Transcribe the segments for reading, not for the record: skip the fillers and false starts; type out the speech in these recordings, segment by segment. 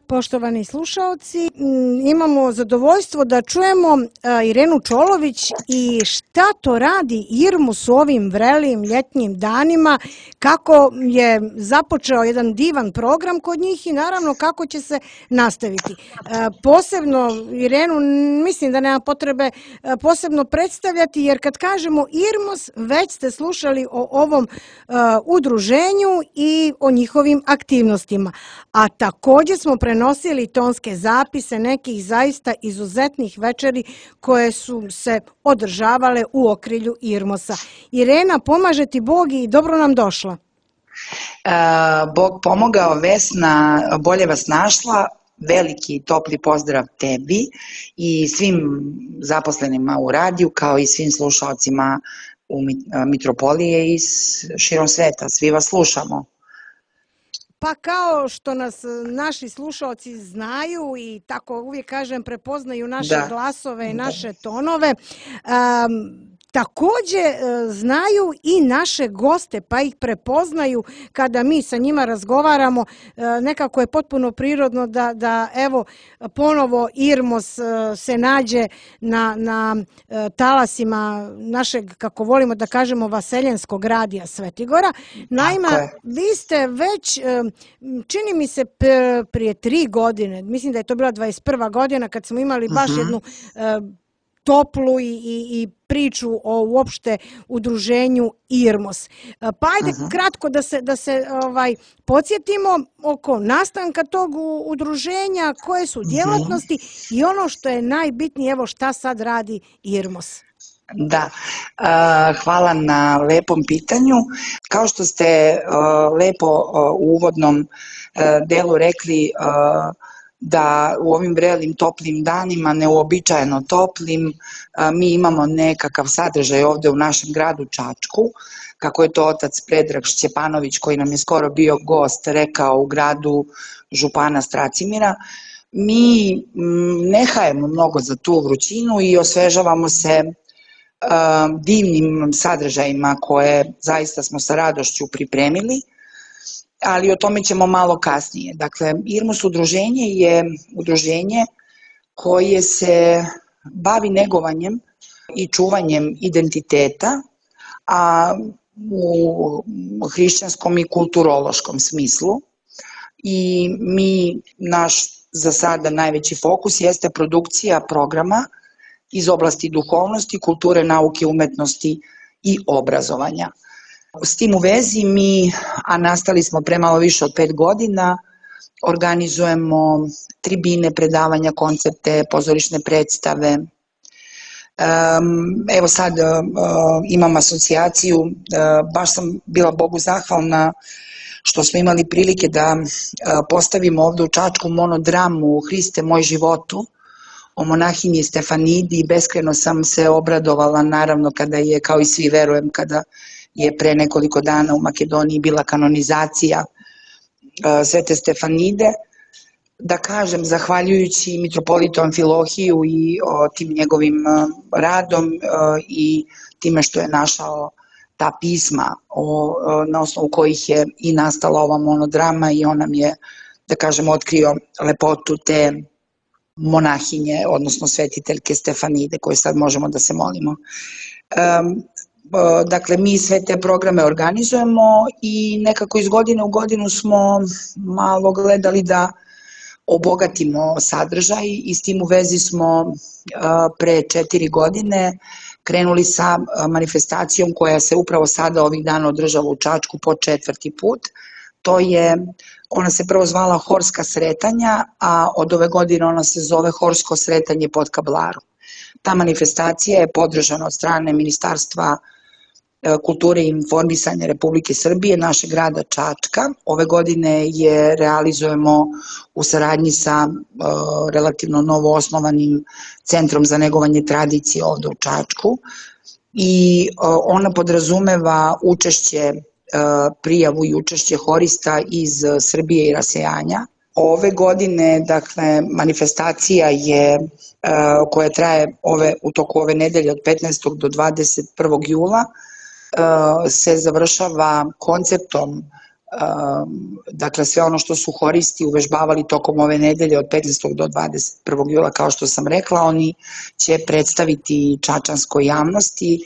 Poštovani slušaoci, imamo zadovoljstvo da čujemo Irenu Čolović i šta to radi Irmus u ovim vrelim ljetnjim danima, kako je započeo jedan divan program kod njih i naravno kako će se nastaviti. Posebno Irenu mislim da nema potrebe posebno predstavljati, jer kad kažemo Irmus već ste slušali o ovom udruženju i o njihovim aktivnostima. A također smo prenosili tonske zapise nekih zaista izuzetnih večeri koje su se održavale u okrilju Irmosa. Irena, pomaže ti Bog i dobro nam došla. Bog pomogao, Vesna, bolje vas našla. Veliki topli pozdrav tebi i svim zaposlenima u radiju, kao i svim slušalcima u Mitropolije i širom sveta. Svi vas slušamo. Pa kao što nas naši slušalci znaju i tako uvijek kažem prepoznaju naše glasove i naše tonove, također znaju i naše goste, pa ih prepoznaju kada mi sa njima razgovaramo. Nekako je potpuno prirodno da evo ponovo Irmos se nađe na talasima našeg, kako volimo da kažemo, vaseljenskog radija Svetigora. Naime, vi ste već, čini mi se prije 3 godine, mislim da je to bila 21. godina kad smo imali baš jednu toplu i priču o uopšte udruženju Irmos. Pa ajde kratko da se podsjetimo oko nastanka tog udruženja, koje su djelatnosti i ono što je najbitnije, evo šta sad radi Irmos. Da, hvala na lepom pitanju. Kao što ste lepo u uvodnom delu rekli, da u ovim vrelim toplim danima, neuobičajeno toplim, mi imamo nekakav sadržaj ovdje u našem gradu Čačku, kako je to otac Predrag Šćepanović, koji nam je skoro bio gost, rekao u gradu župana Stracimira. Mi ne hajemo mnogo za tu vrućinu i osvežavamo se divnim sadržajima koje zaista smo sa radošću pripremili, ali o tome ćemo malo kasnije. Dakle, Irmus udruženje je udruženje koje se bavi negovanjem i čuvanjem identiteta, a u hrišćanskom i kulturološkom smislu. I naš za sada najveći fokus jeste produkcija programa iz oblasti duhovnosti, kulture, nauke, umetnosti i obrazovanja. S tim u vezi a nastali smo pre malo više od 5 godina, organizujemo tribine, predavanja, koncepte, pozorišne predstave. Evo sad imam asocijaciju, baš sam bila Bogu zahvalna što smo imali prilike da postavimo ovdje u Čačku monodramu Hriste moj životu, o monahinji Stefanidi, i beskrajno sam se obradovala, naravno kada je, kao i svi verujem, kada je pre nekoliko dana u Makedoniji bila kanonizacija Svete Stefanide. Da kažem, zahvaljujući mitropolitu Amfilohiju i tim njegovim radom i time što je našao ta pisma na osnovu kojih je i nastala ova monodrama, i on nam je, da kažem, otkrio lepotu te monahinje, odnosno svetiteljke Stefanide, koje sad možemo da se molimo. Dakle, mi sve te programe organizujemo i nekako iz godine u godinu smo malo gledali da obogatimo sadržaj i s tim u vezi smo pre 4 godine krenuli sa manifestacijom koja se upravo sada ovih dana održava u Čačku po 4. put. Ona se prvo zvala Horska sretanja, a od ove godine ona se zove Horsko sretanje pod Kablarom. Ta manifestacija je podržana od strane Ministarstva kulture i informisanja Republike Srbije, našeg grada Čačka. Ove godine je realizujemo u saradnji sa relativno novo osnovanim Centrom za negovanje tradicije ovde u Čačku, i ona podrazumeva učešće, prijavu i učešće horista iz Srbije i rasejanja. Ove godine, dakle, manifestacija je, koja traje u toku ove nedelje od 15. do 21. jula, se završava konceptom dakle sve ono što su horisti uvežbavali tokom ove nedelje od 15. do 21. jula, kao što sam rekla, oni će predstaviti čačanskoj javnosti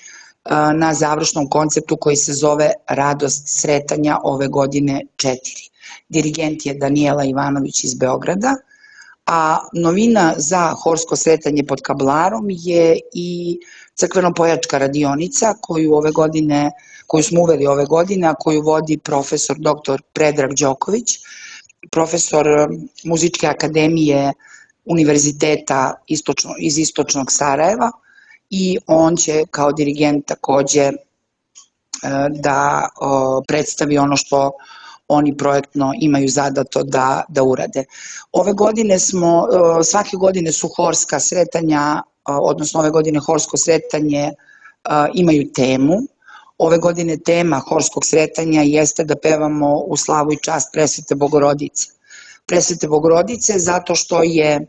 na završnom konceptu koji se zove Radost sretanja ove godine 4. Dirigent je Danijela Ivanović iz Beograda, a novina za horsko sretanje pod Kablarom je i crkveno-pojačka radionica koju smo uveli ove godine, a koju vodi profesor dr. Predrag Đoković, profesor Muzičke akademije Univerziteta iz Istočnog Sarajeva, i on će kao dirigent takođe da predstavi ono što oni projektno imaju zadato da urade. Ove godine svake godine su horska sretanja, odnosno ove godine horsko sretanje imaju temu. Ove godine tema horskog sretanja jeste da pevamo u slavu i čast Presvete Bogorodice. Presvete Bogorodice zato što je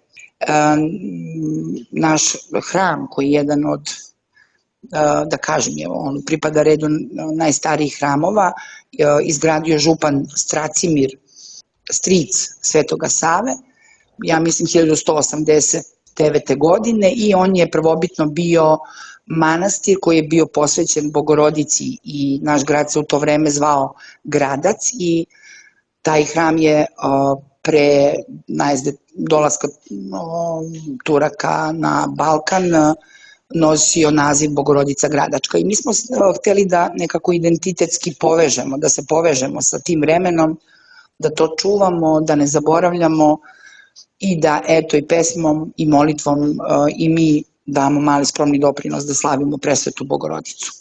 naš hram, koji je jedan od, da kažem, on pripada redu najstarijih hramova, izgradio župan Stracimir, stric Svetoga Save, ja mislim 1189. godine, i on je prvobitno bio manastir koji je bio posvećen Bogorodici i naš grad se u to vreme zvao Gradac, i taj hram je pre dolaska Turaka na Balkan nosio naziv Bogorodica Gradačka, i mi smo hteli da nekako identitetski povežemo, da se povežemo sa tim vremenom, da to čuvamo, da ne zaboravljamo i da eto i pesmom i molitvom i mi damo mali skromni doprinos da slavimo Presvetu Bogorodicu.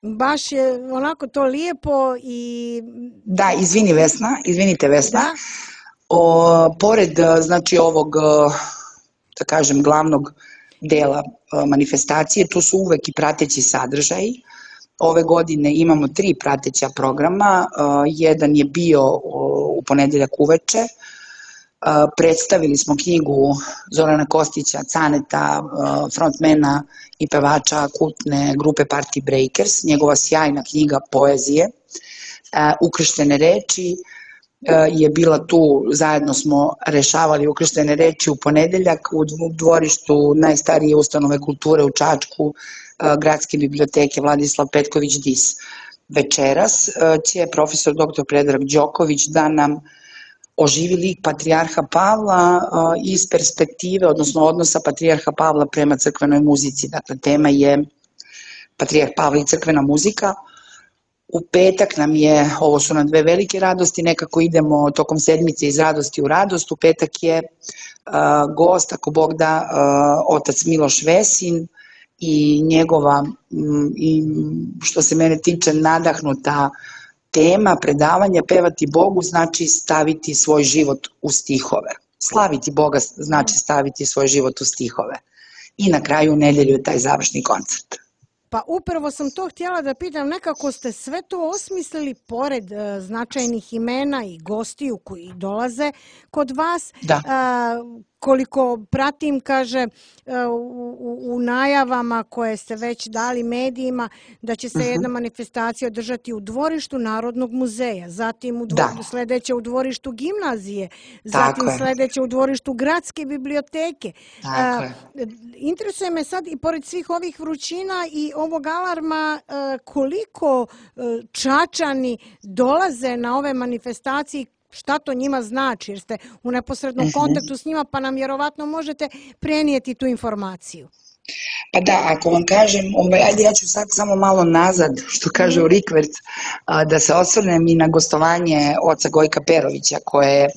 Baš je onako to lijepo i... Da, izvinite Vesna. Da? Pored, znači, ovog, da kažem, glavnog dela manifestacije, tu su uvek i prateći sadržaji. Ove godine imamo 3 prateća programa, jedan je bio u ponedeljak uveče, predstavili smo knjigu Zorana Kostića, Caneta, frontmena i pevača kultne grupe Party Breakers, njegova sjajna knjiga poezije, Ukrštene reči, je bila tu, zajedno smo rešavali ukrštene reči u ponedeljak u dvorištu najstarije ustanove kulture u Čačku, Gradske biblioteke Vladislav Petković Dis. Večeras će profesor dr. Predrag Đoković da nam oživi lik Patrijarha Pavla iz perspektive, odnosno odnosa Patrijarha Pavla prema crkvenoj muzici. Dakle, tema je Patrijarh Pavle i crkvena muzika. U petak nam je, ovo su nam 2 velike radosti, nekako idemo tokom sedmice iz radosti u radost. U petak je gost, ako Bog da, otac Miloš Vesin i njegova, što se mene tiče, nadahnuta tema predavanja Pevati Bogu znači staviti svoj život u stihove. Slaviti Boga znači staviti svoj život u stihove. I na kraju u nedelju je taj završni koncert. Pa upravo sam to htjela da pitam, nekako ste sve to osmislili pored značajnih imena i gostiju koji dolaze kod vas. Da. Koliko pratim, kaže, u najavama koje ste već dali medijima, da će se jedna manifestacija održati u dvorištu Narodnog muzeja, zatim sledeće u dvorištu gimnazije, zatim sledeće u dvorištu Gradske biblioteke. Interesuje me sad, i pored svih ovih vrućina i ovog alarma, koliko Čačani dolaze na ove manifestacije, šta to njima znači, jer ste u neposrednom kontaktu s njima, pa nam vjerovatno možete prenijeti tu informaciju. Pa da, ako vam kažem, ajde ja ću sad samo malo nazad, što kaže u rikverc, da se osvrnem i na gostovanje oca Gojka Perovića, koje je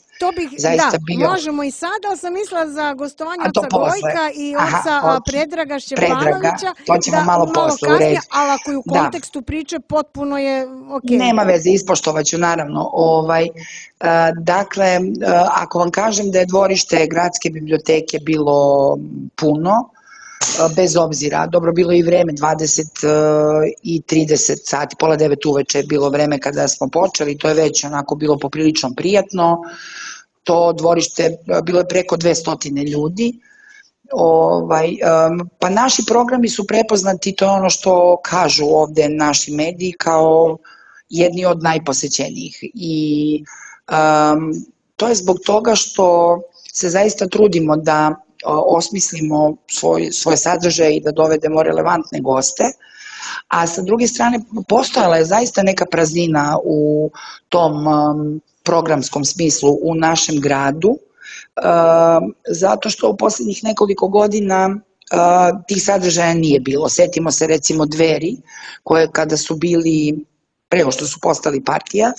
zaista bio... Da, možemo i sada, ali sam mislila za gostovanje oca Gojka i oca Predraga Šćepanovića. To ćemo malo posle, u redu. Ali ako je u kontekstu priče, potpuno je okej. Nema veze, ispoštovaću naravno. Dakle, ako vam kažem da je dvorište Gradske biblioteke bilo puno, bez obzira, dobro, bilo je i vreme, 20 i 30 sati, pola 9 uveče je bilo vreme kada smo počeli, to je već onako bilo poprilično prijatno, to dvorište bilo je preko 200 ljudi, pa naši programi su prepoznati, to je ono što kažu ovde naši mediji, kao jedni od najposećenijih i to je zbog toga što se zaista trudimo da osmislimo svoj sadržaj i da dovedemo relevantne goste, a sa druge strane postojala je zaista neka praznina u tom programskom smislu u našem gradu, zato što u poslednjih nekoliko godina tih sadržaja nije bilo. Setimo se recimo Dveri, koje kada su bili, pre nego što su postali partija,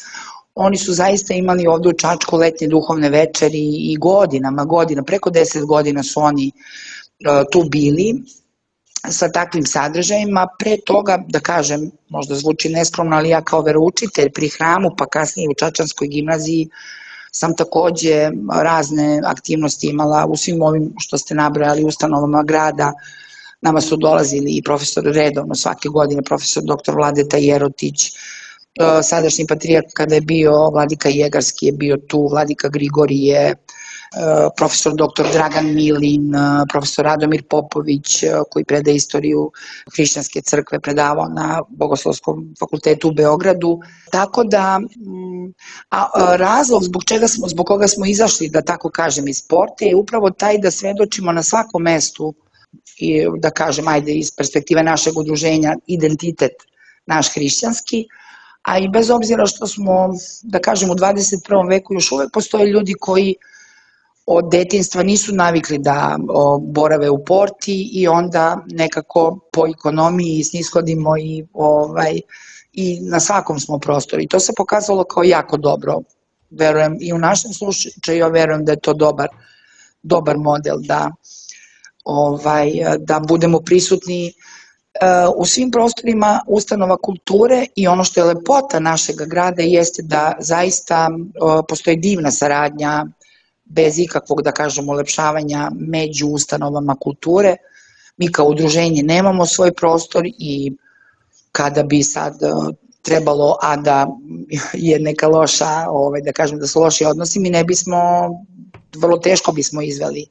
oni su zaista imali ovde u Čačku letnje duhovne večeri i godina, preko 10 godina su oni tu bili sa takvim sadržajima. Pre toga, da kažem, možda zvuči neskromno, ali ja kao veroučitelj pri hramu, pa kasnije u Čačanskoj gimnaziji, sam takođe razne aktivnosti imala u svim ovim što ste nabrojali ustanovama grada. Nama su dolazili i profesori redovno svake godine, profesor dr. Vladeta Jerotić, sadašnji patrijarh kada je bio, vladika Jegarski je bio tu, vladika Grigorije, profesor dr. Dragan Milin, profesor Radomir Popović koji predaje istoriju hrišćanske crkve, predavao na Bogoslovskom fakultetu u Beogradu. Tako da razlog zbog koga smo izašli, da tako kažem, iz sporta je upravo taj da svedočimo na svakom mestu i da kažem, ajde iz perspektive našeg udruženja, identitet naš hrišćanski, a i bez obzira što smo, da kažem, u 21. veku još uvek postoje ljudi koji od detinjstva nisu navikli da borave u porti i onda nekako po ekonomiji snishodimo i na svakom smo prostoru. I to se pokazalo kao jako dobro. Verujem i u našem slučaju, ja verujem da je to dobar model da budemo prisutni u svim prostorima ustanova kulture i ono što je lepota našeg grada jeste da zaista postoji divna saradnja bez ikakvog, da kažemo, ulepšavanja među ustanovama kulture. Mi kao udruženje nemamo svoj prostor i kada bi sad trebalo, a da je neka loša, da kažem da su loši odnosi, mi ne bismo, vrlo teško bismo izveli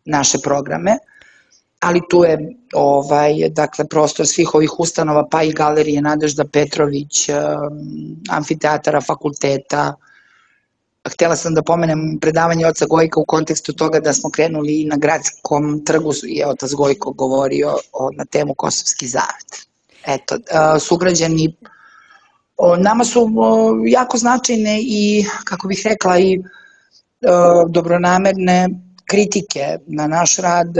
naše programe, ali tu je dakle prostor svih ovih ustanova, pa i galerije Nadežda Petrović, amfiteatara, fakulteta. Htela sam da pomenem predavanje oca Gojka u kontekstu toga da smo krenuli na Gradskom trgu i otac Gojko govorio na temu Kosovski zavet. Eto, sugrađani nama su jako značajne i, kako bih rekla, i dobronamerne kritike na naš rad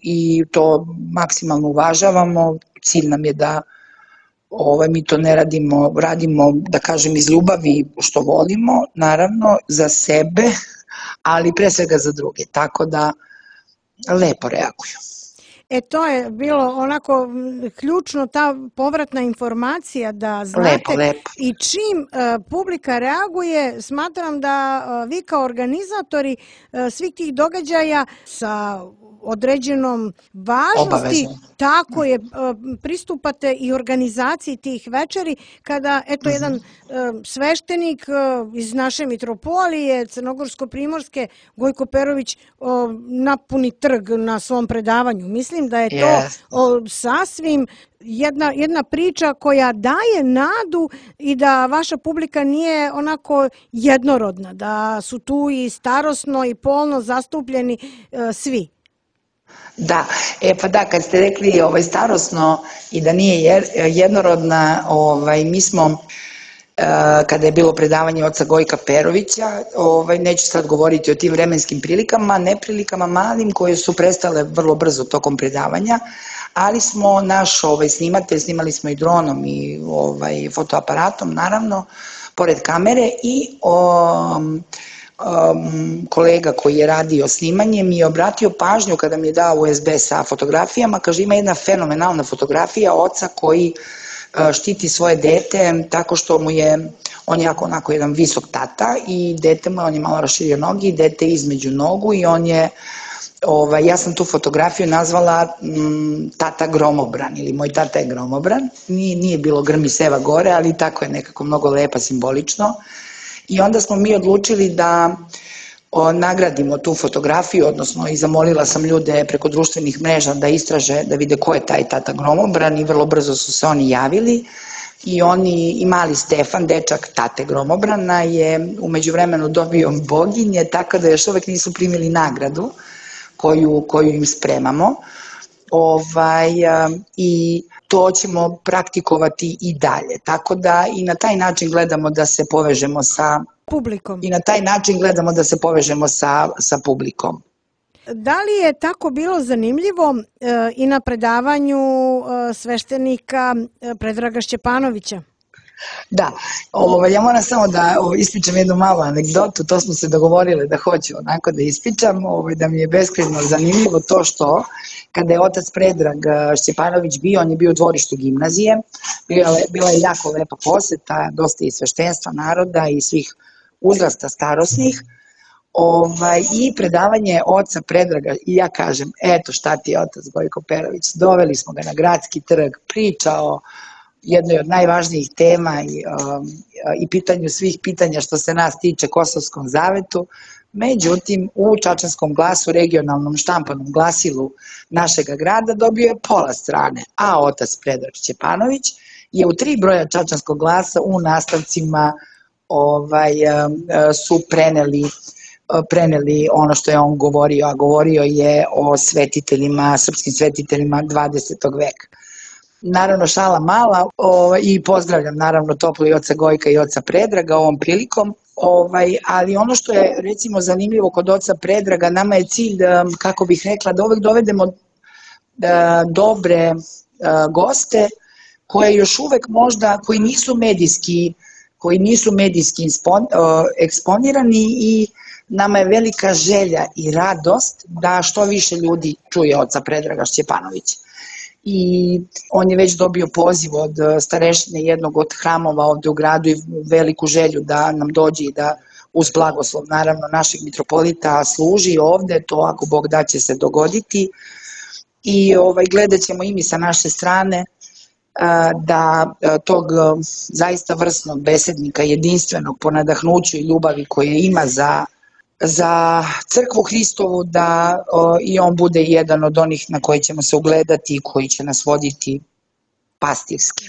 i to maksimalno uvažavamo. Cilj nam je da mi to ne radimo, da kažem, iz ljubavi što volimo, naravno, za sebe, ali pre svega za druge, tako da lepo reaguju. To je bilo onako ključno, ta povratna informacija da znate lepo. I čim publika reaguje, smatram da vi kao organizatori svih tih događaja sa određenom važnosti, tako je, pristupate i organizaciji tih večeri, kada jedan sveštenik iz naše mitropolije, Crnogorsko-primorske, Gojko Perović, napuni trg na svom predavanju. Mislim da je to sasvim jedna priča koja daje nadu i da vaša publika nije onako jednorodna, da su tu i starosno i polno zastupljeni svi. Da, kad ste rekli starosno i da nije jednorodna, mi smo, kada je bilo predavanje oca Gojka Perovića, neću sad govoriti o tim vremenskim prilikama, neprilikama malim koje su prestale vrlo brzo tokom predavanja, ali smo naš snimatelj, snimali smo i dronom i fotoaparatom, naravno, pored kamere, i kolega koji je radio snimanje mi je obratio pažnju kada mi je dao USB sa fotografijama, kaže, ima jedna fenomenalna fotografija oca koji štiti svoje dete tako što on je onako jedan visok tata i dete mu, on je malo raširio noge i dete između nogu i on je, ja sam tu fotografiju nazvala tata gromobran ili moj tata je gromobran, nije bilo grmi seva gore, ali tako je nekako mnogo lepa, simbolično. I onda smo mi odlučili da nagradimo tu fotografiju, odnosno i zamolila sam ljude preko društvenih mreža da istraže, da vide ko je taj tata gromobran i vrlo brzo su se oni javili. i oni i mali Stefan, dečak tate Gromobrana, je u međuvremenu dobio boginje, tako da još uvek nisu primili nagradu koju im spremamo. I to ćemo praktikovati i dalje. Tako da i na taj način gledamo da se povežemo sa publikom. I na taj način gledamo da se povežemo sa publikom. Da li je tako bilo zanimljivo i na predavanju sveštenika Predraga Šćepanovića? Da, ja moram samo da ispričam jednu malu anegdotu, to smo se dogovorili da hoću onako da ispričam, da mi je beskrajno zanimljivo to što kada je otac Predrag Šćepanović bio, on je bio u dvorištu gimnazije, bila je jako lepa poseta, dosta i sveštenstva naroda i svih uzrasta starosnih, i predavanje oca Predraga i ja kažem, eto šta ti je otac Gojko Perović, doveli smo ga na Gradski trg, pričao jednoj od najvažnijih tema i pitanju svih pitanja što se nas tiče Kosovskom zavetu. Međutim, u Čačanskom glasu, regionalnom štampanom glasilu našega grada, dobio je pola strane, a otac Predrag Šćepanović je u 3 broja Čačanskog glasa u nastavcima su preneli ono što je on govorio, a govorio je o svetiteljima, srpskim svetiteljima 20. veka. Naravno, šala mala i pozdravljam naravno toplo i oca Gojka i oca Predraga ovom prilikom, ali ono što je recimo zanimljivo kod oca Predraga, nama je cilj, kako bih rekla, da uvek dovedemo dobre goste koje još uvek možda, koji nisu medijski eksponirani i nama je velika želja i radost da što više ljudi čuje oca Predraga Šćepanovića. I on je već dobio poziv od starešine jednog od hramova ovde u gradu i veliku želju da nam dođe i da uz blagoslov naravno našeg mitropolita služi ovde, to ako Bog da će se dogoditi i gledat ćemo i mi sa naše strane da tog zaista vrsnog besednika, jedinstvenog po nadahnuću i ljubavi koje ima za crkvu Hristovu, da i on bude jedan od onih na koji ćemo se ugledati i koji će nas voditi pastirski.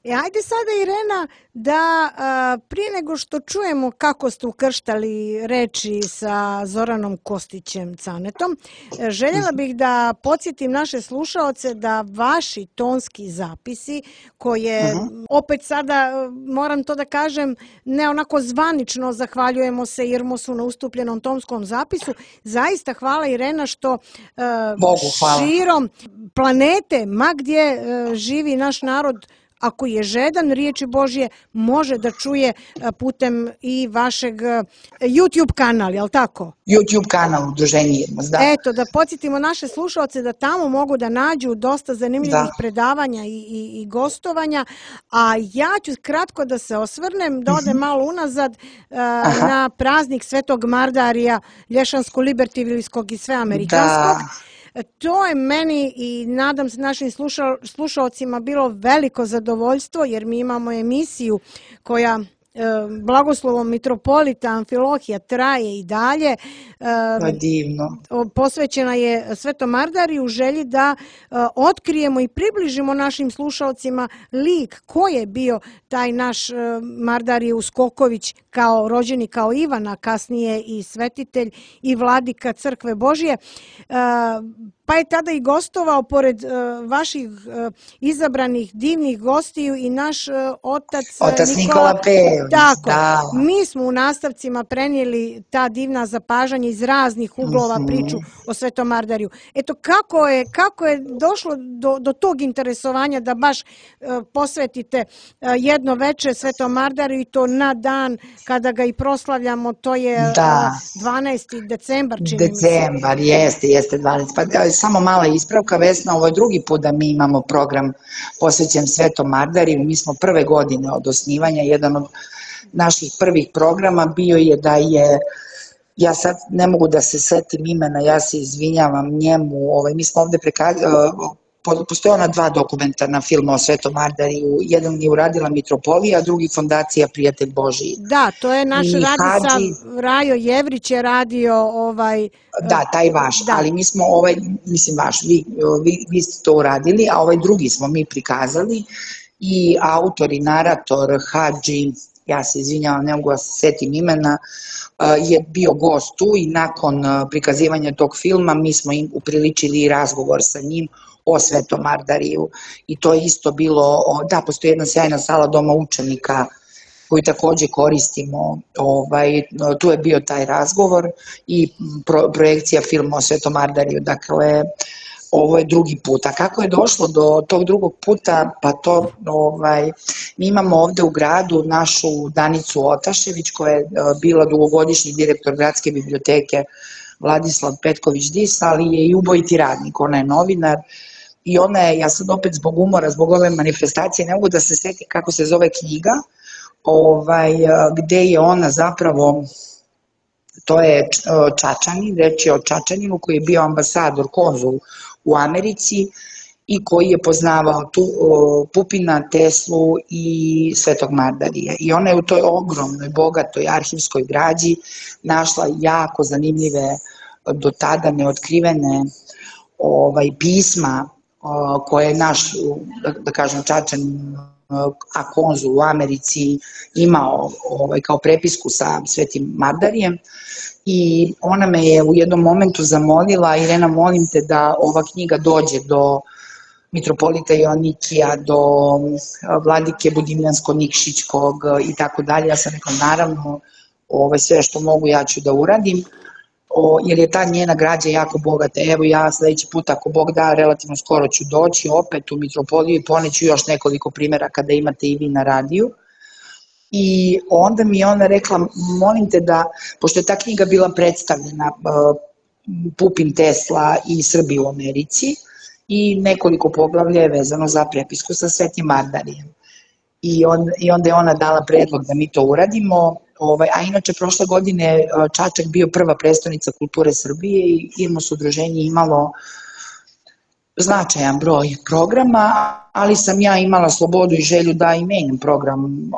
Ajde sada, Irena, da prije nego što čujemo kako ste ukrštali reči sa Zoranom Kostićem Canetom, željela bih da podsjetim naše slušaoce da vaši tonski zapisi, koje opet sada, moram to da kažem, ne onako zvanično zahvaljujemo se Irmosu na ustupljenom tonskom zapisu, zaista hvala, Irena, što širom planete, ma gdje živi naš narod, ako je žedan riječi Božje, može da čuje putem i vašeg YouTube kanala, je li tako? YouTube kanal Udruženje Irmos, da. Eto, da podsjetimo naše slušalce da tamo mogu da nađu dosta zanimljivih predavanja i gostovanja, a ja ću kratko da se osvrnem, da odem malo unazad na praznik Svetog Mardarija, Lješansko-Libertivljskog i Sveamerikanskog. To je meni i nadam se našim slušalcima bilo veliko zadovoljstvo, jer mi imamo emisiju koja blagoslovom mitropolita Amfilohija traje i dalje. Divno. Posvećena je Svetom Mardariju u želji da otkrijemo i približimo našim slušalcima lik ko je bio taj naš Mardarije Uskoković, kao rođeni kao Ivan, a kasnije i svetitelj i vladika Crkve Božje. Pa je tada i gostovao pored vaših izabranih divnih gostiju i naš otac Nikola Pejović. Tako, mi smo u nastavcima prenijeli ta divna zapažanja iz raznih uglova priču o Svetom Mardariju. Eto, kako je došlo do tog interesovanja da baš posvetite jedno veče Svetom Mardariju i to na dan kada ga i proslavljamo, to je 12. decembar, čini mi se. Decembar, jeste 12. Pa samo mala ispravka, Vesna, ovo je drugi put da mi imamo program posvećen Svetom Mardariju. Mi smo prve godine od osnivanja, jedan od naših prvih programa bio je da je, ja sad ne mogu da se setim imena, ja se izvinjavam njemu, mi smo ovde postoje ona 2 dokumentarna filma o Svetom Mardariju, jedan je uradila Mitropolija, a drugi Fondacija Prijatelj Božiji. Da, to je naš Radisav Rajo Jevrić je radio Da, taj vaš, ali mi smo mislim vaš, vi ste to uradili, a ovaj drugi smo mi prikazali i autor i narator Hadži, ja se izvinjavam, ne mogu da se setim imena, je bio gost tu i nakon prikazivanja tog filma mi smo im upriličili razgovor sa njim o Svetom Ardariju i to je isto bilo, da, postoji jedna sjajna sala Doma učenika koju takođe koristimo, tu je bio taj razgovor i projekcija filma o Svetom Ardariju, dakle ovo je drugi put. A kako je došlo do tog drugog puta, pa to, mi imamo ovde u gradu našu Danicu Otašević koja je bila dugogodišnji direktor gradske biblioteke Vladislav Petković-Dis, ali je i ubojiti radnik, ona je novinar i ona je, ja sad opet zbog umora, zbog ove manifestacije, ne mogu da se setim kako se zove knjiga, gde je ona zapravo, to je Čačanin, reč je o Čačaninu koji je bio ambasador, konzul u Americi i koji je poznavao Pupina, Teslu i Svetog Mardarija. I ona je u toj ogromnoj, bogatoj arhivskoj građi našla jako zanimljive, do tada neotkrivene pisma koje je naš, da kažem, Čačanin, a konzul u Americi imao kao prepisku sa Svetim Mardarijem i ona me je u jednom momentu zamolila: Irena, molim te da ova knjiga dođe do mitropolita Joanikija, do vladike Budimljansko-Nikšićkog i tako dalje. Ja sam rekla, naravno, sve što mogu ja ću da uradim, jer je ta njena građa jako bogata. Evo, ja sledeći put, ako Bog da, relativno skoro ću doći opet u mitropoliju i poneću još nekoliko primjera kada imate i vi na radiju. I onda mi je ona rekla, molim te da, pošto je ta knjiga bila predstavljena, Pupin, Tesla i Srbi u Americi, i nekoliko poglavlja je vezano za prepisku sa Svetim Mardarijem. I onda je ona dala predlog da mi to uradimo, a inače prošle godine Čačak bio prva prestonica kulture Srbije i IRMOS udruženje imalo značajan broj programa, ali sam ja imala slobodu i želju da i menjam program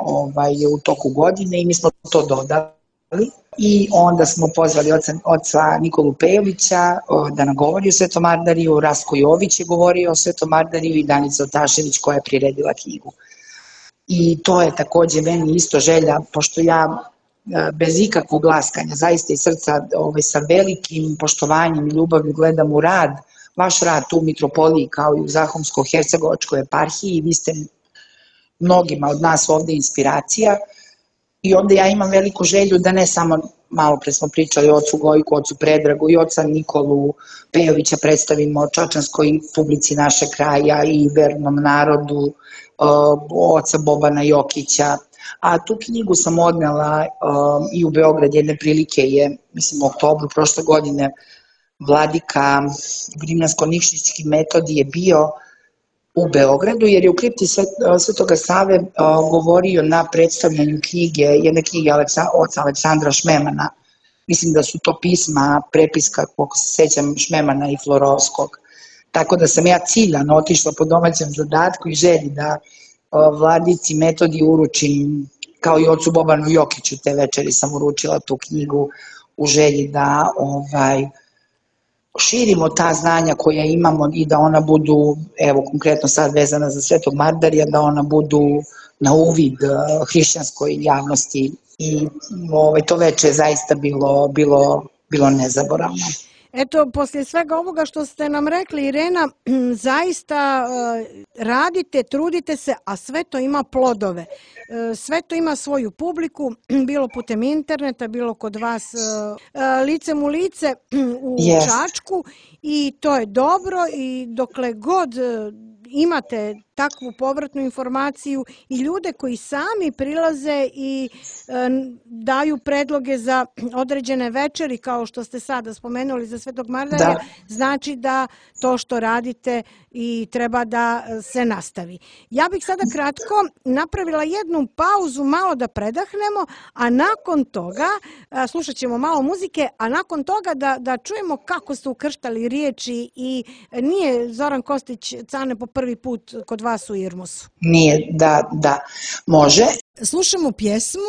u toku godine i mi smo to dodali. I onda smo pozvali oca Nikolu Pejovića da nam govori o Svetom Ardariju, Rastko Jović je govorio o Svetom Ardariju i Danica Otašević koja je priredila knjigu. I to je takođe meni isto želja, pošto ja bez ikakvog laskanja, zaista iz srca, sa velikim poštovanjem i ljubavlju gledam u rad, vaš rad tu u mitropoliji kao i u Zahumsko-Hercegovačkoj eparhiji, vi ste mnogima od nas ovde inspiracija i onda ja imam veliku želju da ne samo, malo pre smo pričali o ocu Gojku, ocu Predragu i oca Nikolu Pejovića predstavimo čačanskoj publici našeg kraja i vernom narodu, oca Bobana Jokića, a tu knjigu sam odnela i u Beograd. Jedne prilike je, mislim u oktobru prošle godine, vladika Budimljansko-Nikšićki Metodije bio u Beogradu, jer je u kripti Svetoga Save govorio na predstavljanju knjige, jedne knjige oca Aleksandra Šmemana. Mislim da su to pisma, prepiska, koliko se sećam, Šmemana i Florovskog. Tako da sam ja ciljano otišla po domaćem zadatku i želji da vladici Metodiji uručim, kao i ocu Bobanu Jokiću, te večeri sam uručila tu knjigu u želji da širimo ta znanja koja imamo i da ona budu, evo konkretno sad vezana za Svetog Mardarija, da ona budu na uvid hrišćanskoj javnosti i to veče je zaista bilo nezaboravno. Eto, poslije svega ovoga što ste nam rekli, Irena, zaista radite, trudite se, a sve to ima plodove. Sve to ima svoju publiku, bilo putem interneta, bilo kod vas licem u lice u Čačku i to je dobro i dokle god imate takvu povratnu informaciju i ljude koji sami prilaze i daju predloge za određene večeri, kao što ste sada spomenuli za Svetog Mardarija, znači da to što radite i treba da se nastavi. Ja bih sada kratko napravila jednu pauzu, malo da predahnemo, a nakon toga, slušat ćemo malo muzike, a nakon toga da čujemo kako ste ukrštali riječi i nije Zoran Kostić Cane po prvi put kod vas u IRMOS-u. Nije, da, može. Slušamo pjesmu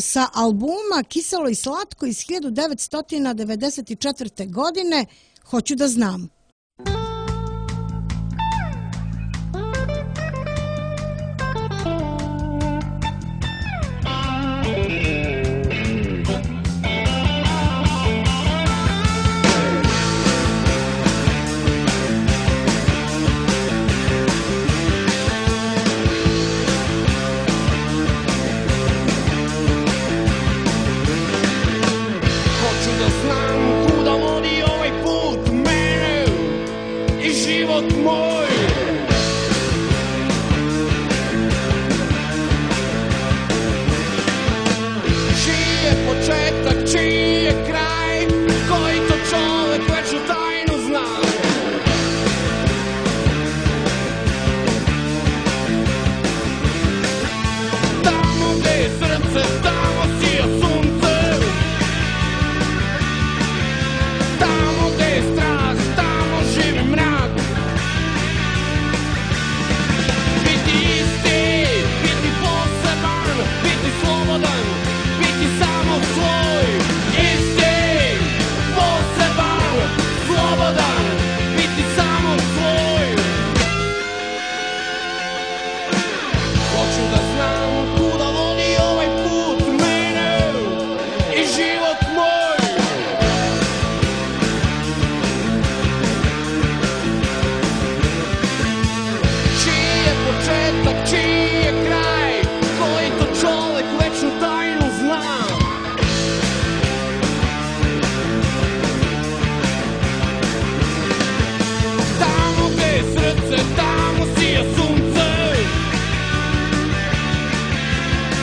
sa albuma Kiselo i slatko iz 1994. godine, Hoću da znam. život moj. Čiji je početak, čiji je kraj, koji to čovek večnu tajnu zna. Tamo gde je srce, tamo sija sunce. Tamo gde je strah, tamo živi mrak. Biti isti, biti poseban, biti slobodan, biti samo svoj. Isti, poseban, slobodan, biti samo svoj. Hoću da znam kuda vodi ovaj put mene i život moj. Čiji je početak, čiji je kraj, koji to čovek večnu tajnu zna. Tamo gde je srce, tamo sija sunce.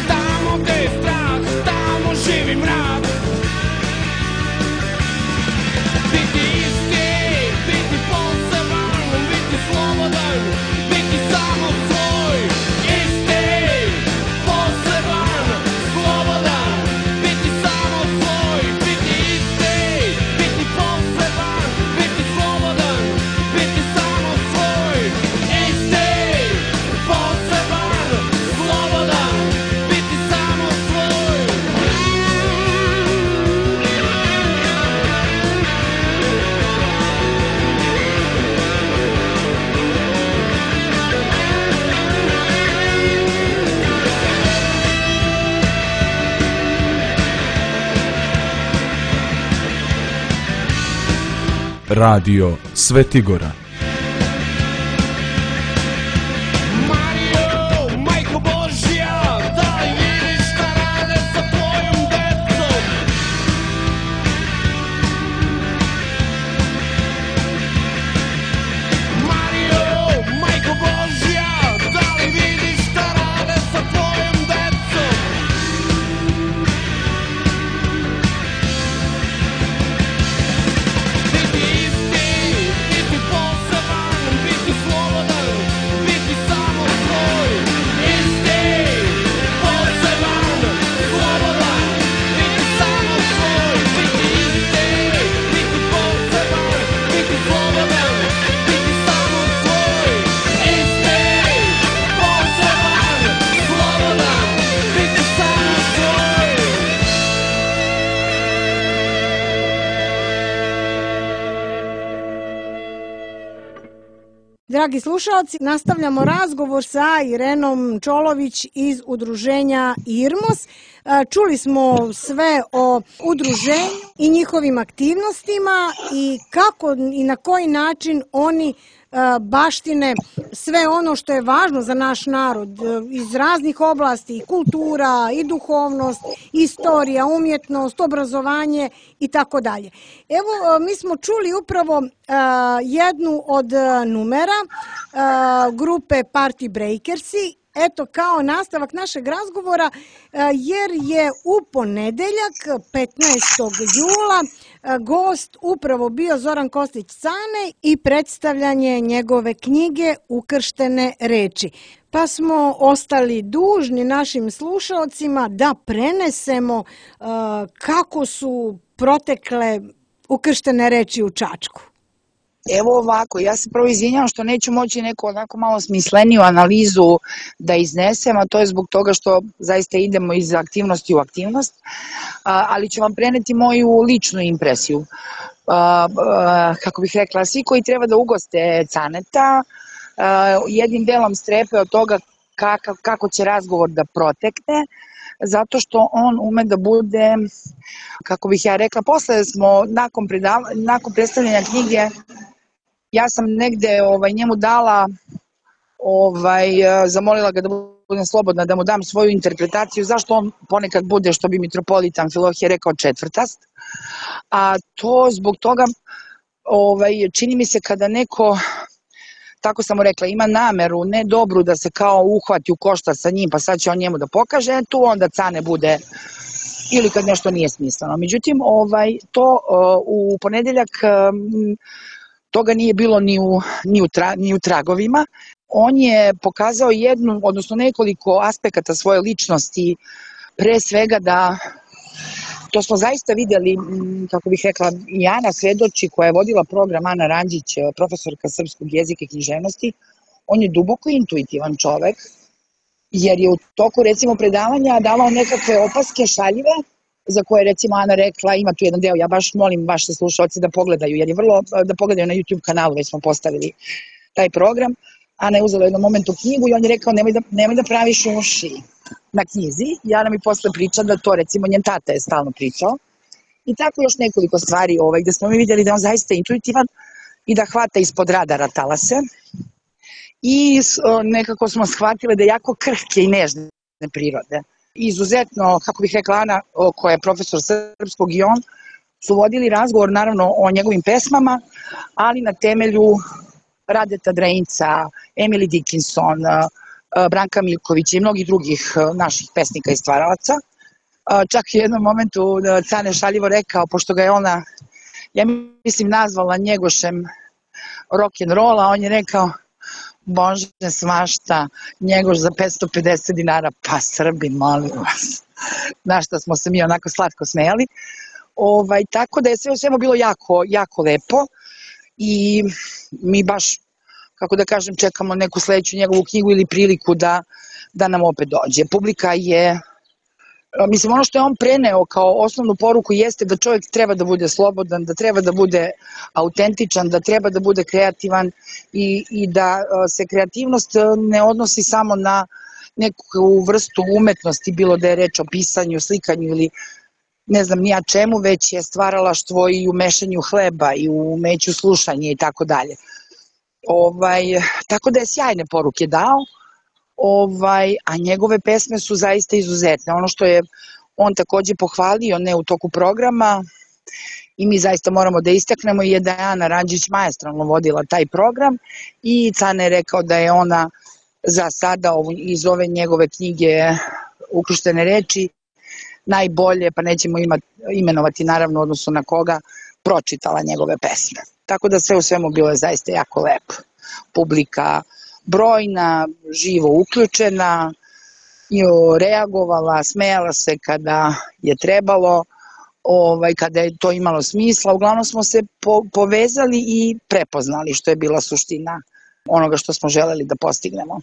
Tamo gde je strah, tamo živi mrak. Biti isti, biti poseban, biti slobodan, biti samo svoj. Isti, poseban, slobodan, biti samo svoj. Biti isti, biti poseban, biti slobodan, biti samo svoj. Isti, poseban, slobodan, biti samo svoj. Radio Svetigora. Mario, majko Božja, da li vidiš šta rade sa tvojom decom? Mario, majko Božja, da li vidiš šta rade sa tvojom decom? Biti isti, biti poseban, biti slobodan, biti samo svoj. Isti, poseban, slobodan, biti samo svoj. Biti isti, biti poseban, biti slobodan, biti samo svoj. Isti, poseban, slobodan, biti samo svoj. Dragi slušalci, nastavljamo razgovor sa Irenom Čolović iz udruženja IRMOS. Čuli smo sve o udruženju i njihovim aktivnostima i kako i na koji način oni baštine sve ono što je važno za naš narod iz raznih oblasti, i kultura, i duhovnost, istorija, umjetnost, obrazovanje i tako dalje. Evo, mi smo čuli upravo jednu od numera grupe Party Breakersi, eto kao nastavak našeg razgovora, jer je u ponedeljak 15. jula gost upravo bio Zoran Kostić-Cane i predstavljanje njegove knjige Ukrštene reči. Pa smo ostali dužni našim slušalcima da prenesemo kako su protekle ukrštene reči u Čačku. Evo ovako, ja se prvo izvinjavam što neću moći neku onako malo smisleniju analizu da iznesem, a to je zbog toga što zaista idemo iz aktivnosti u aktivnost, ali ću vam preneti moju ličnu impresiju. Kako bih rekla, svi koji treba da ugoste Caneta, jednim delom strepe od toga kako će razgovor da protekne, zato što on ume da bude, kako bih ja rekla, posle smo nakon predstavljanja knjige, ja sam negde njemu dala, zamolila ga da budem slobodna, da mu dam svoju interpretaciju, zašto on ponekad bude, što bi mitropolit Amfilohije rekao, četvrtast. A to zbog toga, čini mi se kada neko tako sam mu rekla, ima nameru, ne dobru, da se kao uhvati u koštac sa njim, pa sad će on njemu da pokaže, tu onda Cane bude, ili kad nešto nije smisleno. Međutim, to u ponedeljak toga nije bilo ni u tragovima. On je pokazao jednu, odnosno nekoliko aspekata svoje ličnosti, pre svega da, to smo zaista videli, kako bih rekla, i Ana svedoči, koja je vodila program, Ana Ranđić, profesorka srpskog jezika i književnosti, on je duboko intuitivan čovek, jer je u toku, recimo, predavanja davao nekakve opaske šaljive, za koje, recimo, Ana rekla, ima tu jedan deo, ja baš molim vaše slušalce da pogledaju, jer je da pogledaju na YouTube kanalu, već smo postavili taj program. Ana je uzela u jednom momentu knjigu i on je rekao, nemoj da praviš uši na knjizi. Jana mi posle priča da to, recimo, njen tata je stalno pričao. I tako još nekoliko stvari gde smo mi vidjeli da on zaista intuitivan i da hvata ispod radara talase. I nekako smo shvatile da je jako krhke i nežne prirode. Izuzetno, kako bih rekla, Ana, koja je profesor srpskog, i on su vodili razgovor, naravno, o njegovim pesmama, ali na temelju Radeta Dreinca, Emily Dickinson, Branka Milkovića i mnogih drugih naših pesnika i stvaralaca. Čak i u jednom momentu Cane šaljivo rekao, pošto ga je ona, ja mislim, nazvala Njegošem rock'n'rolla, on je rekao, Bože, svašta, Njegoš za 550 dinara, pa Srbi, molim vas. Na šta smo se mi onako slatko smejali. Tako da je sve u svemu bilo jako, jako lepo i mi baš, kako da kažem, čekamo neku sledeću njegovu knjigu ili priliku da nam opet dođe. Publika je, mislim, ono što je on preneo kao osnovnu poruku jeste da čovjek treba da bude slobodan, da treba da bude autentičan, da treba da bude kreativan i da se kreativnost ne odnosi samo na neku vrstu umetnosti, bilo da je reč o pisanju, slikanju ili ne znam nija čemu, već je stvaralaštvo i u mešanju hleba i u umeću slušanja i tako dalje. Tako da je sjajne poruke dao, a njegove pesme su zaista izuzetne. Ono što je on takođe pohvalio, ne u toku programa, i mi zaista moramo da istaknemo, je da je Ana Ranđić maestralno vodila taj program i Cane je rekao da je ona za sada iz ove njegove knjige Ukrštene reči najbolje, pa nećemo imenovati naravno odnosno na koga, pročitala njegove pesme. Tako da sve u svemu bilo je zaista jako lepo. Publika brojna, živo uključena, reagovala, smejala se kada je trebalo, kada je to imalo smisla. Uglavnom smo se povezali i prepoznali, što je bila suština onoga što smo želeli da postignemo.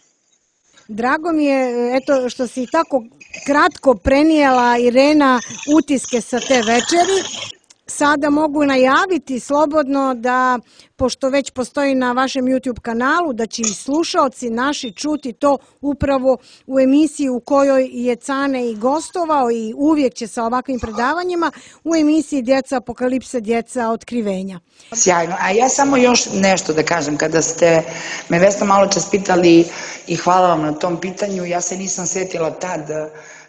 Drago mi je, eto, što si tako kratko prenijela, Irena, utiske sa te večeri. Sada mogu najaviti slobodno da, pošto već postoji na vašem YouTube kanalu, da će i slušaoci naši čuti to upravo u emisiji u kojoj je Cane i gostovao i uvijek će sa ovakvim predavanjima, u emisiji Djeca apokalipse, djeca otkrivenja. Sjajno, a ja samo još nešto da kažem, kada ste me, Vesna, malo čas pitali i hvala vam na tom pitanju, ja se nisam setila tad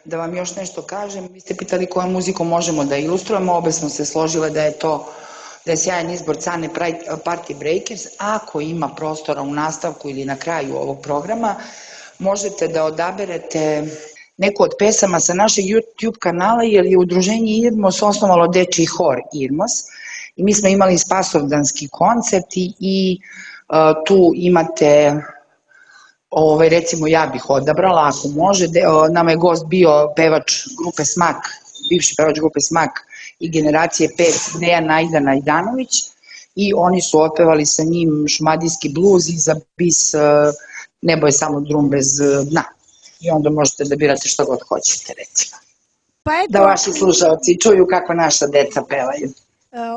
da vam još nešto kažem. Vi ste pitali kojom muzikom možemo da ilustrujemo, obe smo se složile da je sjajan izbor Cane Party Breakers. Ako ima prostora u nastavku ili na kraju ovog programa, možete da odaberete neku od pesama sa našeg YouTube kanala, jer je udruženje Irmos osnovalo dečiji hor Irmos i mi smo imali spasovdanski koncert i tu imate, recimo ja bih odabrala, ako može, nama je gost bio pevač grupe Smak, bivši pevač grupe Smak i generacije 5, Dejan Najda Najdanović, i oni su otpevali sa njim šumadijski bluz i za bis Nebo je samo drum bez dna. I onda možete da birate što god hoćete, recimo. Da vaši slušalci čuju kako naša deca pevaju.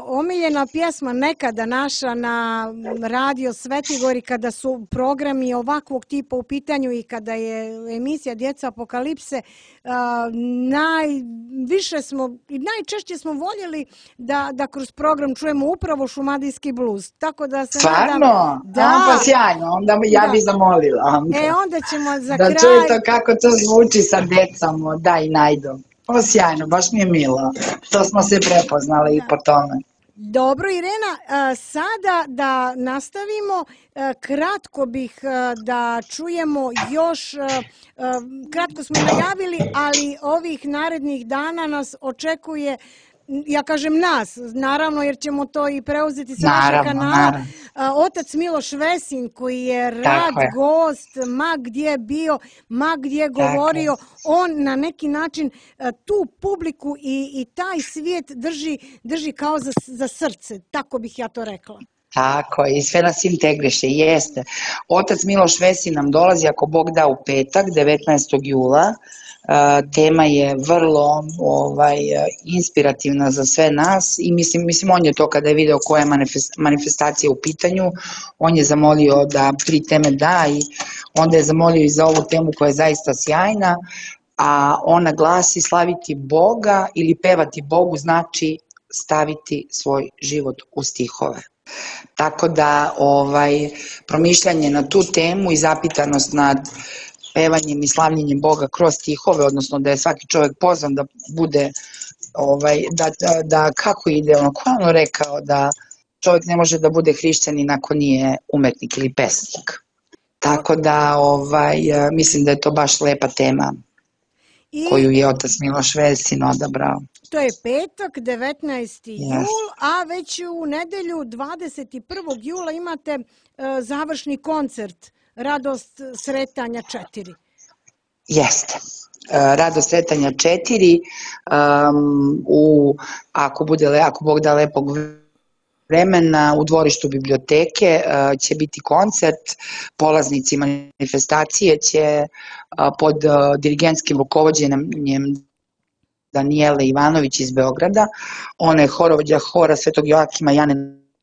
Omiljena pjesma nekada naša na radio Svetigori, kada su programi ovakvog tipa u pitanju i kada je emisija Djeca apokalipse, najviše smo i najčešće smo voljeli da kroz program čujemo upravo šumadijski bluz. Tako da se nadam... Stvarno? Da. Pa sjajno, onda ja bih zamolila. Onda ćemo za kraj... Da čujete kako to zvuči sa decom, da, i Najdom. Sjajno, baš mi je milo što smo se prepoznali i po tome. Dobro, Irena, sada da nastavimo, kratko bih da čujemo još, kratko smo najavili, ali ovih narednih dana nas očekuje, ja kažem nas, naravno jer ćemo to i preuzeti sa vašeg kanala, otac Miloš Vesin koji je rad gost, ma gdje bio, ma gdje govorio, on na neki način tu publiku i taj svijet drži kao za srce, tako bih ja to rekla. Tako je, i sve nas integriše, jeste. Otac Miloš Vesin nam dolazi, ako Bog da, u petak, 19. jula. Tema je vrlo inspirativna za sve nas i mislim on je to kada je video koja je manifestacija u pitanju, on je zamolio da 3 teme da i onda je zamolio i za ovu temu koja je zaista sjajna, a ona glasi slaviti Boga ili pevati Bogu znači staviti svoj život u stihove. Tako da promišljanje na tu temu i zapitanost nad pevanjem i slavljenjem Boga kroz stihove, odnosno da je svaki čovjek pozvan da bude, da kako ide, ko je ono rekao, da čovjek ne može da bude hrišćanin ako nije umetnik ili pesnik. Tako da mislim da je to baš lepa tema koju je otac Miloš Vesin odabrao. To je petak, 19. jul, a već u nedelju 21. jula imate završni koncert Radost sretanja 4. Jeste. Radost sretanja 4, ako Bog da lepog vremena, u dvorištu biblioteke će biti koncert, polaznici manifestacije će pod dirigentskim rukovođenjem Danijele Ivanović iz Beograda, ona je horovođa hora Svetog Joakima Jane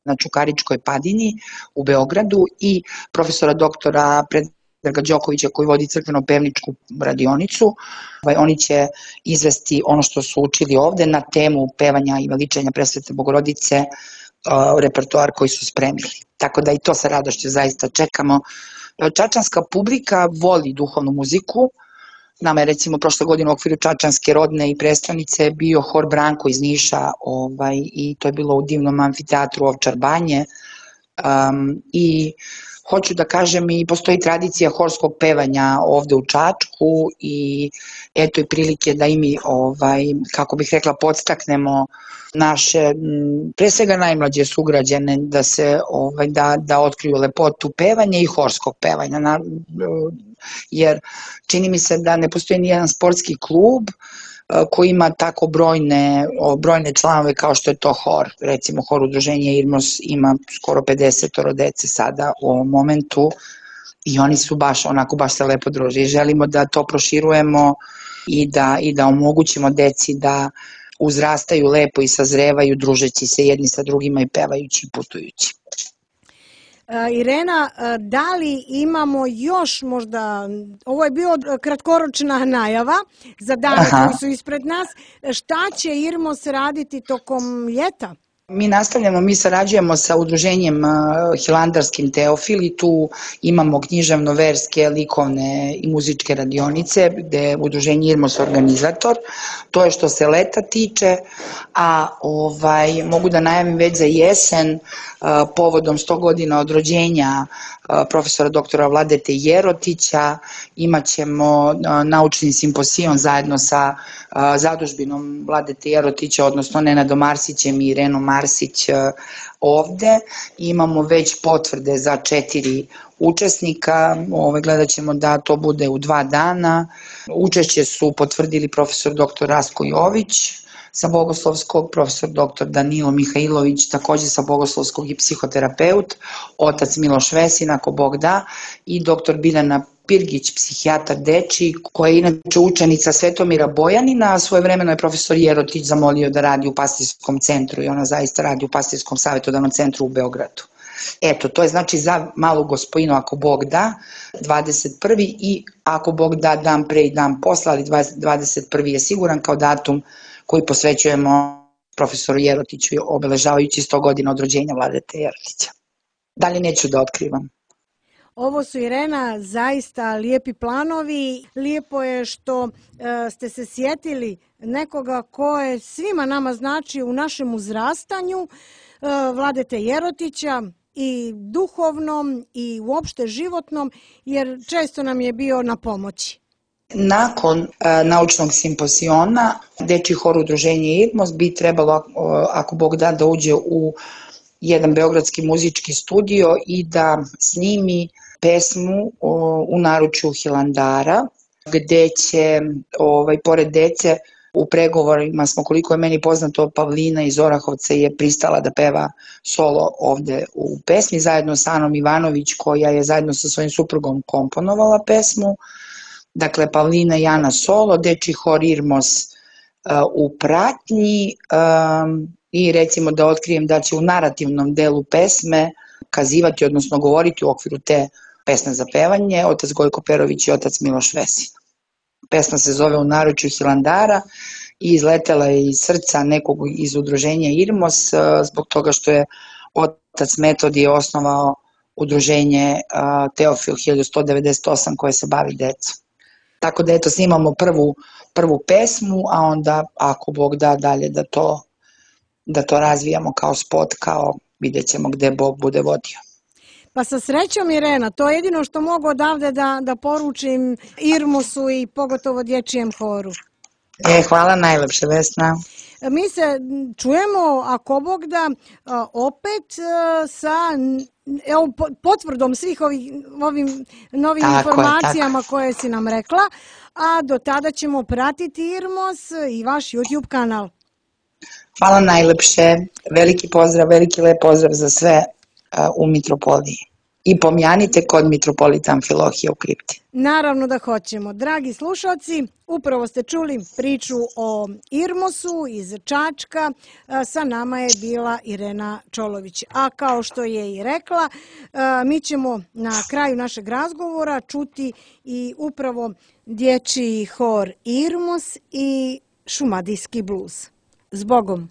na Čukaričkoj padini u Beogradu i profesora doktora Predraga Đokovića koji vodi crkveno-pevničku radionicu. Oni će izvesti ono što su učili ovde na temu pevanja i veličanja Presvete Bogorodice, repertoar koji su spremili. Tako da i to sa radošću zaista čekamo. Čačanska publika voli duhovnu muziku. Nama je recimo prošle godine u okviru Čačanske rodne i prestonice bio hor Branko iz Niša i to je bilo u divnom amfiteatru Ovčar Banje i hoću da kažem i postoji tradicija horskog pevanja ovde u Čačku i eto i prilike da i mi, kako bih rekla, podstaknemo naše, pre svega najmlađe sugrađane da otkriju lepotu pevanja i horskog pevanja, jer čini mi se da ne postoji nijedan sportski klub koji ima tako brojne članove kao što je to hor. Recimo hor udruženja Irmos ima skoro 50 dece sada u ovom momentu i oni su baš se lepo druže i želimo da to proširujemo i da omogućimo deci da uzrastaju lepo i sazrevaju družeći se jedni sa drugima i pevajući i putujući. Irena, da li imamo još možda, ovo je bio kratkoročna najava za dane koji su ispred nas, šta će Irmos raditi tokom ljeta? Mi sarađujemo sa udruženjem Hilandarskim Teofil i tu imamo književno-verske, likovne i muzičke radionice gde je udruženje Irmos organizator. To je što se leta tiče, a mogu da najavim već za jesen povodom 100 godina od rođenja profesora doktora Vladete Jerotića imat ćemo naučni simposijon zajedno sa zadužbinom Vladete Jerotića, odnosno Nenadom Arsićem i Irenom Arsić ovde. Imamo već potvrde za 4 učesnika, gledat ćemo da to bude u 2 dana. Učešće su potvrdili profesor dr. Rasko Jović sa Bogoslovskog, profesor dr. Danilo Mihajlović, takođe sa Bogoslovskog i psihoterapeut, otac Miloš Vesin, ako Bog da, i dr. Biljana Pirgić, psihijatar dečiji, koja je inače učenica Svetomira Bojanina, a svojevremeno je profesor Jerotić zamolio da radi u Pastirskom centru i ona zaista radi u Pastirskom savjetodavnom centru u Beogradu. Eto, to je znači za Malu Gospojinu, ako Bog da, 21. i ako Bog da dan pre i dan posle, ali 21. je siguran kao datum koji posvećujemo profesoru Jerotiću obeležavajući 100 godina od rođenja Vladete Jerotića. Dalje neću da otkrivam. Ovo su, Irena, zaista lijepi planovi. Lijepo je što ste se sjetili nekoga ko je svima nama znači u našem uzrastanju, Vladete Jerotića, i duhovnom i uopšte životnom, jer često nam je bio na pomoći. Nakon naučnog simpoziona Dečji hor udruženje Irmos bi trebalo, ako Bog da uđe u jedan beogradski muzički studio i da snimi pesmu u naručju Hilandara, gde će, pored dece, u pregovorima smo, koliko je meni poznato, Pavlina iz Orahovca je pristala da peva solo ovde u pesmi, zajedno sa Anom Ivanović, koja je zajedno sa svojim suprugom komponovala pesmu. Dakle, Pavlina i Ana solo, Dečji hor Irmos u pratnji, i recimo da otkrijem da će u narativnom delu pesme kazivati, odnosno govoriti u okviru te pesme za pevanje otac Gojko Perović i otac Miloš Vesin. Pesma se zove U naručju Hilandara i izletela je iz srca nekog iz udruženja Irmos, zbog toga što je otac Metodije osnovao udruženje Teofil 1198 koje se bavi decom. Tako da eto, snimamo prvu pesmu, a onda ako Bog da dalje da to razvijamo kao spot, kao vidjet ćemo gde Bog bude vodio. Pa sa srećom, Irena, to je jedino što mogu odavde da poručim Irmosu i pogotovo Dječjem horu. Hvala najlepše, Vesna. Mi se čujemo, ako Bog da, opet sa potvrdom svih ovim novim informacijama koje si nam rekla, a do tada ćemo pratiti Irmos i vaš YouTube kanal. Hvala najlepše, veliki pozdrav, veliki lep pozdrav za sve u Mitropoliji. I pomjanite kod Mitropolita Amfilohija u kripti. Naravno da hoćemo. Dragi slušalci, upravo ste čuli priču o Irmosu iz Čačka. Sa nama je bila Irena Čolović. A kao što je i rekla, mi ćemo na kraju našeg razgovora čuti i upravo Dječji hor Irmos i šumadijski bluz. Zbogom!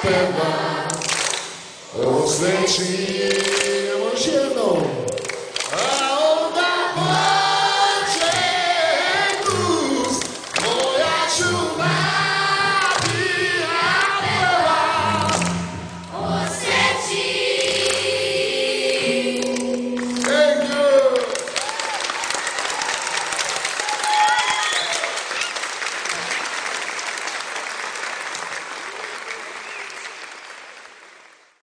peva, ovo sveći, još jednom.